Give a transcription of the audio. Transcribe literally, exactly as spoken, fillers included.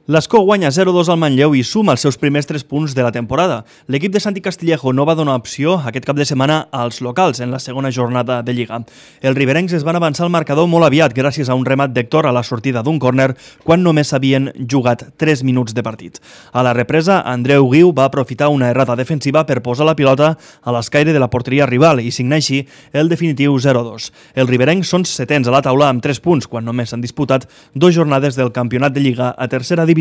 L'Escó guanya zero dos al Manlleu i suma els seus primers tres punts de la temporada. L'equip de Santi Castillejo no va donar opció aquest cap de setmana als locals en la segona jornada de Lliga. Els riberencs es van avançar al marcador molt aviat gràcies a un remat d'Héctor a la sortida d'un córner quan només s'havien jugat tres minuts de partit. A la represa, Andreu Guiu va aprofitar una errata defensiva per posar la pilota a l'escaire de la porteria rival i signar així el definitiu zero dos. Els riberencs són setens a la taula amb tres punts quan només s'han disputat dues jornades del campionat de Lliga a tercera divisió.